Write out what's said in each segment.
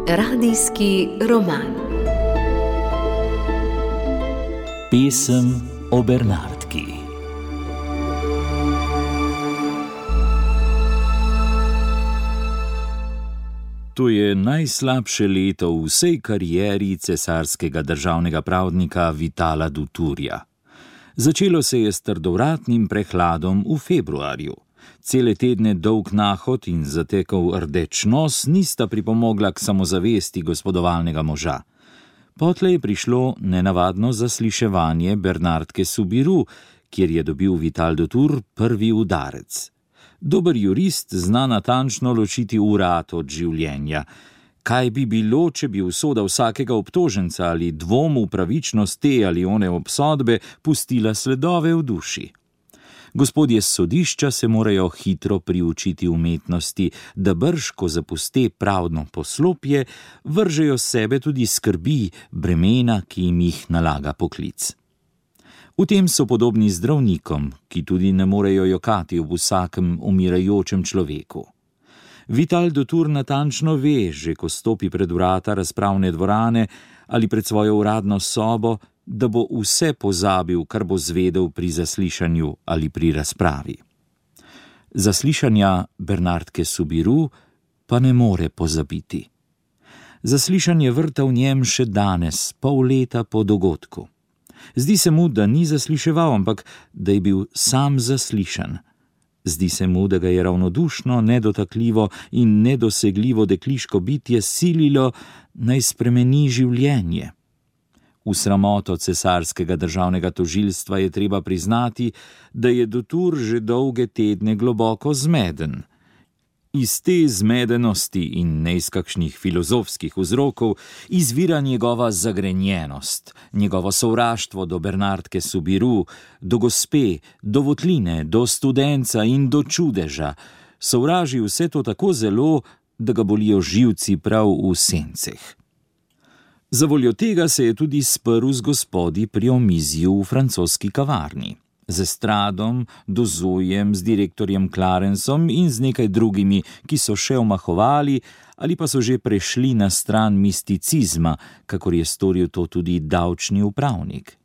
Radijski roman. Pesem o Bernardki. To je najslabše leto v vsej karieri cesarskega državnega pravdnika Vitala Duturja. Začelo se je s trdovratnim prehladom v februarju. Cele tedne dolg nahod in zatekal rdeč nos nista pripomogla k samozavesti gospodovalnega moža. Potlej je prišlo nenavadno zasliševanje Bernardke Soubirous, kjer je dobil Vital Dutur prvi udarec. Dober jurist zna natančno ločiti urad od življenja. Kaj bi bilo, če bi usoda vsakega obtoženca ali dvom v pravičnost te ali one obsodbe pustila sledove v duši? Gospodje s sodišča se morajo hitro priučiti umetnosti, da brž, ko zapuste pravdno poslopje, vržejo sebe tudi skrbi, bremena, ki jim jih nalaga poklic. V tem so podobni zdravnikom, ki tudi ne morejo jokati ob vsakem umirajočem človeku. Vital Dutur natančno ve, že ko stopi pred vrata razpravne dvorane ali pred svojo uradno sobo, da bo vse pozabil, kar bo zvedel pri zaslišanju ali pri razpravi. Zaslišanja Bernardke Soubirous pa ne more pozabiti. Zaslišanje vrta v njem še danes, pol leta po dogodku. Zdi se mu, da ni zasliševal, ampak da je bil sam zaslišan. Zdi se mu, da ga je ravnodušno, nedotakljivo in nedosegljivo dekliško bitje sililo, naj spremeni življenje. V sramoto cesarskega državnega tožilstva je treba priznati, da je Dutur že dolge tedne globoko zmeden. Iz te zmedenosti in ne iz kakšnih filozofskih vzrokov izvira njegova zagrenjenost, njegovo sovraštvo do Bernardke Soubirous, do gospe, do votline, do studenca in do čudeža. Sovraži vse to tako zelo, da ga bolijo živci prav v senceh. Zavoljo tega se je tudi sprl z gospodi pri omizju v francoski kavarni. Z Estradom, Dozujem, z direktorjem Clarensom in z nekaj drugimi, ki so še omahovali ali pa so že prešli na stran misticizma, kakor je storil to tudi davčni upravnik.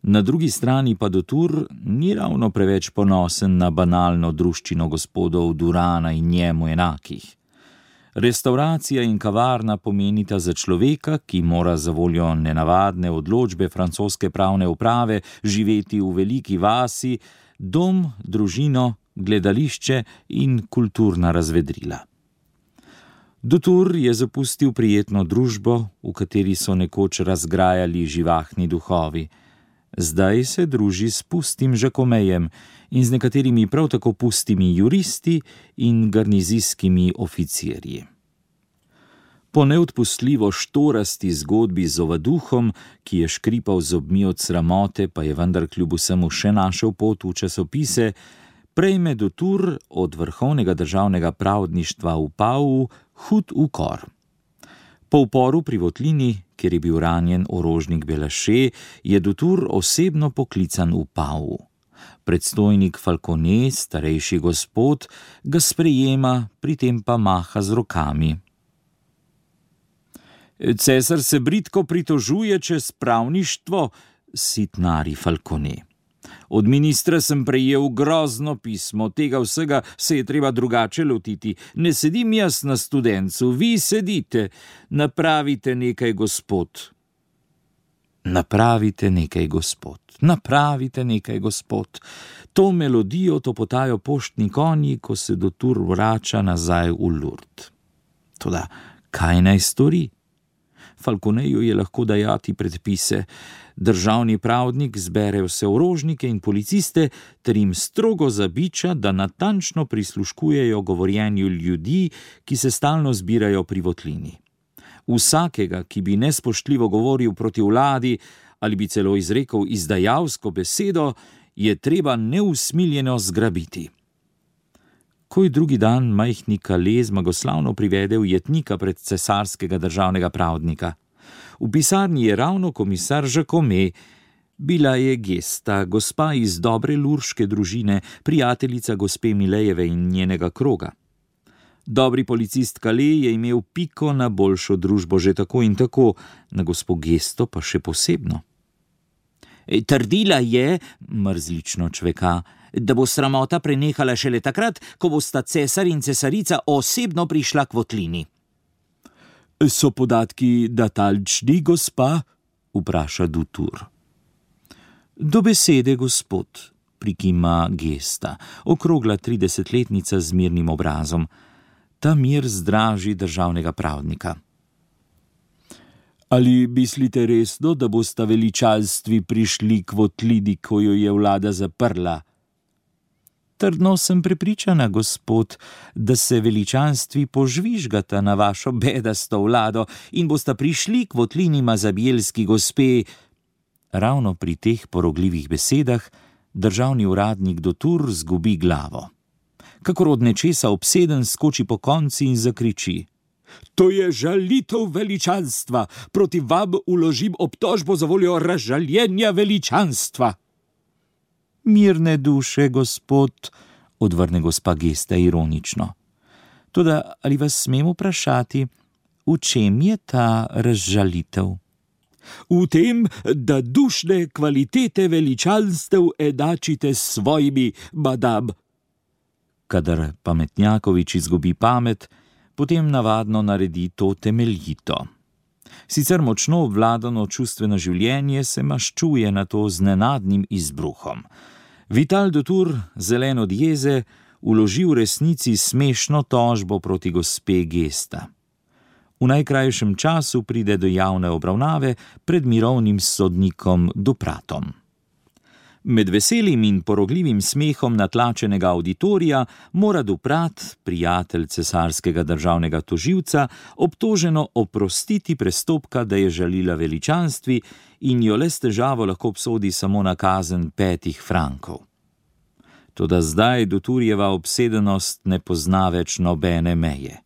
Na drugi strani pa Dutur ni ravno preveč ponosen na banalno druščino gospodov Durana in njemu enakih. Restauracija in kavarna pomenita za človeka, ki mora zavoljo nenavadne odločbe francoske pravne uprave živeti v veliki vasi, dom, družino, gledališče in kulturna razvedrila. Dutur je zapustil prijetno družbo, v kateri so nekoč razgrajali živahni duhovi. Zdaj se druži s pustim žakomejem in z nekaterimi prav tako pustimi juristi in garnizijskimi oficirji. Po neodpustljivo štorasti zgodbi z ovaduhom, ki je škripal zobmi od sramote, pa je vendar kljub vsemu še našel pot v časopise, prejme Dutur od vrhovnega državnega pravdništva v Pavu hud ukor. Po uporu pri votlini, kjer je bil ranjen orožnik Belaše, je Dutur osebno poklican v Pavu. Predstojnik Falconet, starejši gospod, ga sprejema, pri tem pa maha z rokami. Cesar se bridko pritožuje čez pravništvo, sitnari Falconet. Od ministra sem prejel grozno pismo, tega vsega se je treba drugače lotiti. Ne sedim jaz na studencu, vi sedite. Napravite nekaj, gospod. Napravite nekaj, gospod. Napravite nekaj, gospod. To melodijo topotajo poštni konji, ko se Dutur vrača nazaj v Lourdes. Toda, kaj naj stori? Falconeju je lahko dajati predpise. Državni pravdnik zbere vse orožnike in policiste ter jim strogo zabiča, da natančno prisluškujejo govorjenju ljudi, ki se stalno zbirajo pri votlini. Vsakega, ki bi nespoštljivo govoril proti vladi ali bi celo izrekel izdajalsko besedo, je treba neusmiljeno zgrabiti. Koj drugi dan majhni Calais zmagoslavno privede ujetnika pred cesarskega državnega pravdnika. V pisarni je ravno komisar Jacome, Bila je Gesta, gospa iz dobre lurške družine, prijateljica gospe Milejeve in njenega kroga. Dobri policist Calais je imel piko na boljšo družbo že tako in tako, na gospo Gesto pa še posebno. Trdila je, mrzlično čveka, da bo sramota prenehala šele takrat, ko bosta cesar in cesarica osebno prišla k votlini. So podatki datalčni, gospa? Vpraša Dutour. Do besede, gospod, prikima Gesta, okrogla 30-letnica z mirnim obrazom. Ta mir zdraži državnega pravnika. Ali mislite resno, da bosta veličanstvi prišli k votlini, ko jo je vlada zaprla? Trdno sem prepričana, gospod, da se veličanstvi požvižgata na vašo bedasto vlado in bosta prišli k votlini mazabjelski gospe. Ravno pri teh porogljivih besedah državni uradnik Dutour zgubi glavo. Kakor od nečesa obseden skoči po konci in zakriči: To je žalitev veličanstva, proti vam uložim obtožbo za voljo razžaljenja veličanstva. Mirne duše, gospod, odvrne gospa Gesta ironično. Toda ali vas smem vprašati, v čem je ta razžalitev? V tem, da dušne kvalitete veličanstev enačite s svojimi, madam. Kadar pametnjakovič izgubi pamet, potem navadno naredi to temeljito. Sicer močno obvladano čustveno življenje se maščuje na to z nenadnim izbruhom. Vital Dutour, zelen od jeze, vloži v resnici smešno tožbo proti gospe Gesta. V najkrajšem času pride do javne obravnave pred mirovnim sodnikom Dupratom. Med veselim in porogljivim smehom natlačenega auditorija mora Duprat, prijatelj cesarskega državnega tožilca, obtoženo oprostiti prestopka, da je žalila veličanstvi in jo le s težavo lahko obsodi samo na kazen 5 frankov. Toda zdaj Dutourjeva obsedenost ne pozna več nobene meje.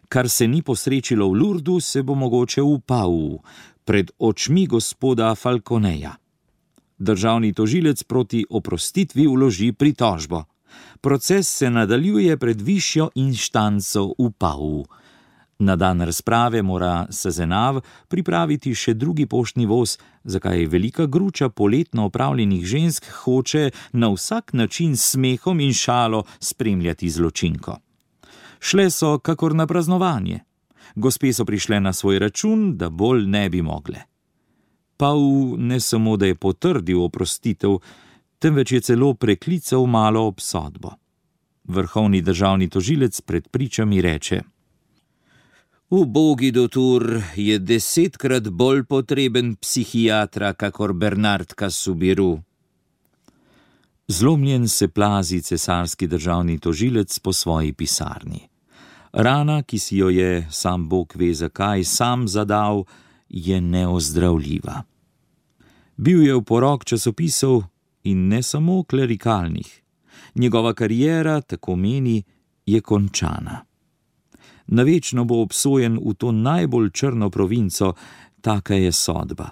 Kar se ni posrečilo v Lourdu, se bo mogoče v Pau, pred očmi gospoda Falconeja. Državni tožilec proti oprostitvi vloži pritožbo. Proces se nadaljuje pred višjo inštanco v Pau. Na dan razprave mora Sezenav pripraviti še drugi poštni voz, zakaj velika gruča poletno opravljenih žensk hoče na vsak način s smehom in šalo spremljati zločinko. Šle so kakor na praznovanje. Gospe so prišle na svoj račun, da bolj ne bi mogle. Pau ne samo, da je potrdil oprostitev, temveč je celo preklical malo obsodbo. Vrhovni državni tožilec pred pričami reče: Ubogi Dutour je 10-krat bolj potreben psihiatra, kakor Bernard Casimir. Zlomljen se plazi cesarski državni tožilec po svoji pisarni. Rana, ki si jo je, sam Bog ve zakaj, sam zadal, je neozdravljiva. Bil je v porok časopisov in ne samo klerikalnih. Njegova kariera, tako meni, je končana. Navečno bo obsojen v to najbolj črno provinco, taka je sodba.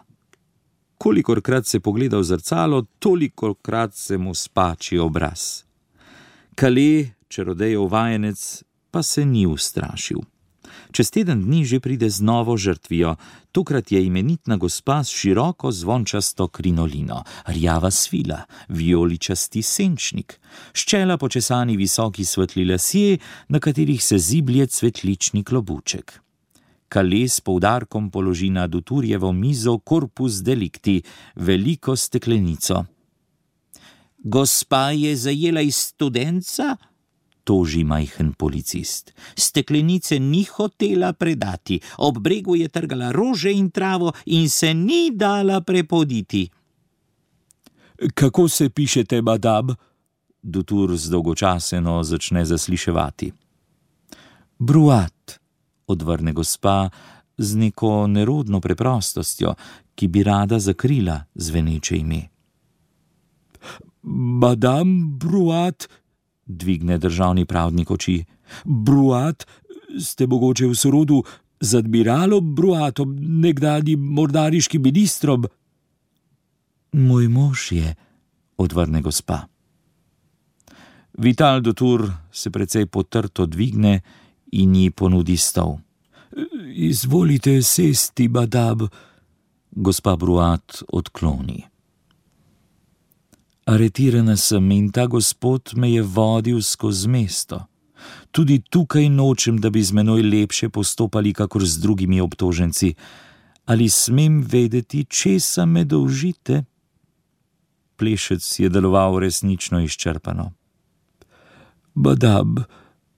Kolikorkrat se pogleda v zrcalo, tolikokrat se mu spači obraz. Calais, čarodejev vajenec, pa se ni ustrašil. Čez teden dni že pride z novo žrtvijo, tokrat je imenitna gospa s široko zvončasto krinolino, rjava svila, vijoličasti senčnik, s čela počesani visoki svetli lasje, na katerih se ziblje cvetlični klobuček. Calais s poudarkom položi na Dutourjevo mizo corpus delicti, veliko steklenico. Gospa je zajela iz studenca? Toži majhen policist. Steklenice ni hotela predati, ob bregu je trgala rože in travo in se ni dala prepoditi. Kako se pišete, madam? Dutour zdolgočaseno začne zasliševati. Bruat, odvrne gospa z neko nerodno preprostostjo, ki bi rada zakrila zveneče ime. Madam Bruat, dvigne državni pravnik oči. Bruat, ste mogoče v sorodu z admiralom Bruatom, nekdanjim mornariškim ministrom? Moj mož je, odvrne gospa. Vital Dutour se precej potrto dvigne in ji ponudi stol. Izvolite sesti, madame, gospa Bruat odkloni. Aretirana sem in ta gospod me je vodil skozi mesto. Tudi tukaj nočem, da bi z menoj lepše postopali, kakor z drugimi obtoženci. Ali smem vedeti, česa me dolžite? Plešec je deloval resnično izčrpano. Madame,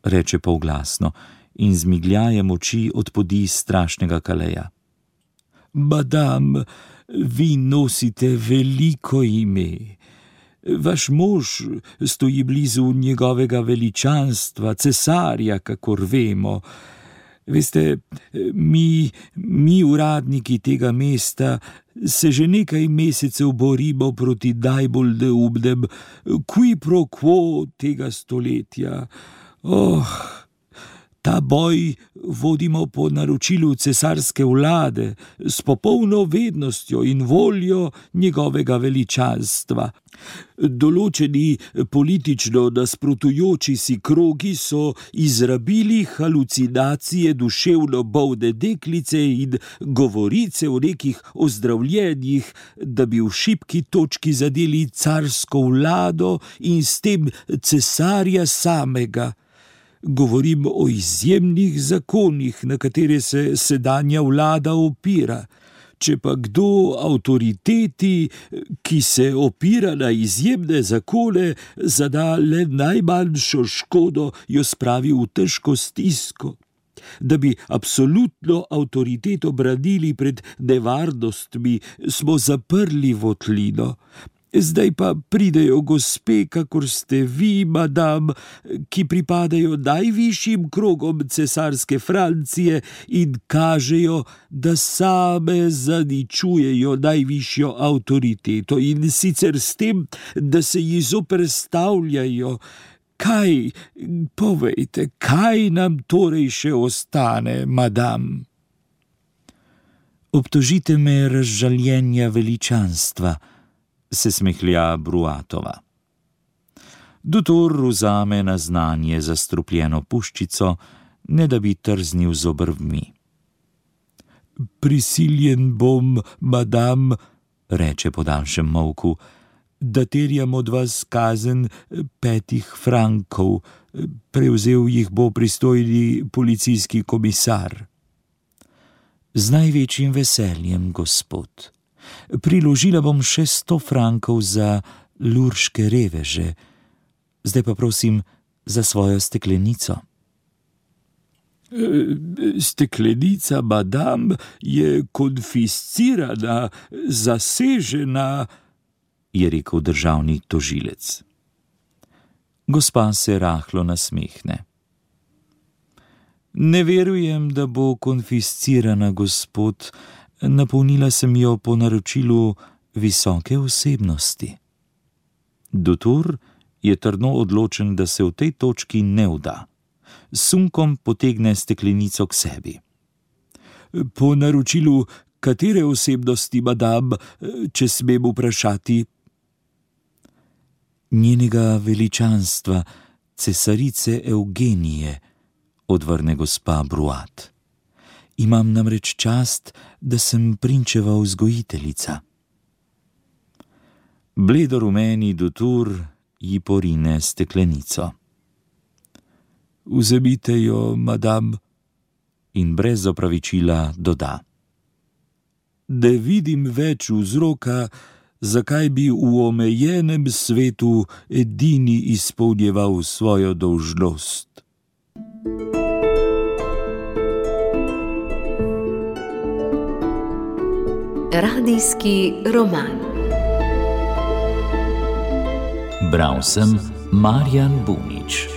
reče polglasno in z migljajem oči odpodi strašnega Kaleja. Madame, vi nosite veliko ime. Vaš mož stoji blizu njegovega veličanstva, cesarja, kakor vemo. Veste, mi uradniki tega mesta se že nekaj mesecev borimo proti najbolj neumnem qui pro quo tega stoletja. Ta boj vodimo po naročilu cesarske vlade s popolno vednostjo in voljo njegovega veličanstva. Določeni politično nasprotujoči si krogi so izrabili halucinacije duševno bolne deklice in govorice o nekih ozdravljenjih, da bi v šibki točki zadeli carsko vlado in s tem cesarja samega. Govorim o izjemnih zakonih, na katere se sedanja vlada opira. Če pa kdo avtoriteti, ki se opira na izjemne zakone, zada le najmanjšo škodo, jo spravi v težko stisko. Da bi absolutno avtoriteto branili pred nevarnostmi, smo zaprli votlino. Zdaj pa pridejo gospe, kakor ste vi, madame, ki pripadajo najvišjim krogom cesarske Francije in kažejo, da same zaničujejo najvišjo avtoriteto in sicer s tem, da se ji zoperstavljajo. Kaj, povejte, kaj nam torej še ostane, madame? Obtožite me razžaljenja veličanstva, se smehlja Bruatova. Dutour vzame na znanje zastrupljeno puščico, ne da bi trznil z obrvmi. Prisiljen bom, madame, reče po daljšem molku, da terjam od vas kazen 5 frankov, prevzel jih bo pristojni policijski komisar. Z največjim veseljem, gospod. Priložila bom še 100 frankov za lurške reveže. Zdaj pa prosim za svojo steklenico. Steklenica, madame, je konfiscirana, zasežena, je rekel državni tožilec. Gospa se rahlo nasmehne. Ne verujem, da bo konfiscirana, gospod. Napolnila sem jo po naročilu visoke osebnosti. Dutour je trdno odločen, da se v tej točki ne vda. S sunkom potegne steklenico k sebi. Po naročilu katere osebnosti, madame, če smem vprašati? Njenega veličanstva, cesarice Eugenije, odvrne gospa Bruat. Imam namreč čast, da sem prinčeva vzgojiteljica. Bledorumeni Dutour ji porine steklenico. Vzemite jo, madame, in brez opravičila doda. Ne vidim več vzroka, zakaj bi v omejenem svetu edini izpolnjeval svojo dolžnost. Radijski roman. Bral sem Marjan Bunič.